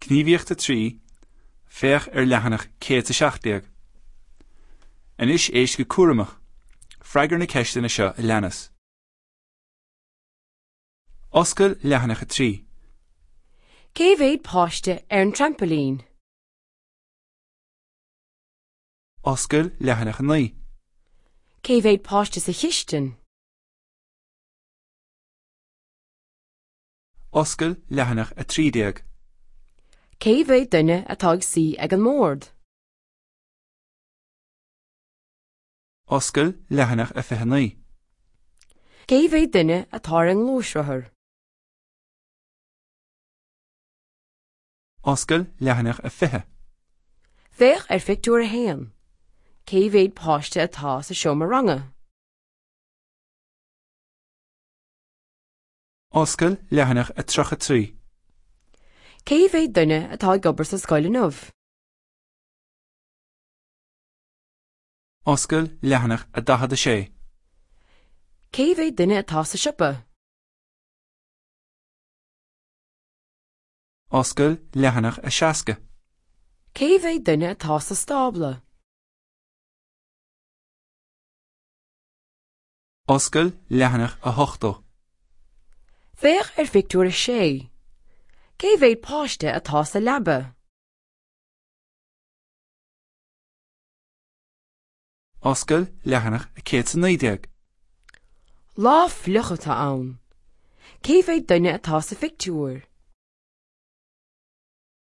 Gníomhaíocht 3, Féach ar leathanach 117. Anois éist go cúramach. Freagair na ceisteanna seo a leanas. Oscail leathanach 3. Cé mhéad páiste ar an trampailín? Oscail leathanach 9. Cé mhéad páiste sa chistin? Oscail leathanach 13. Cé mhéad duine atá ag suí ag an mbord? Oscail leathanach 29. Cé mhéad duine atá ar an ngluaisrothar? Oscail leathanach 20. Féach ar phictiúr 1. Cé mhéad páiste atá sa seomra ranga? Oscail leathanach 33. Cé mhéad duine atá ag obair sa scoil inniu? Oscail leathanach 46. Cé mhéad duine atá sa siopa? Oscail leathanach 60. Cé mhéad duine atá sa stábla? Oscail leathanach 80. Féach ar phictiúr 6. Cé mhéad páiste atá sa leaba? Oscail leathanach 119. Lá fliuch atá ann. Cé mhéad duine atá sa phictiúr?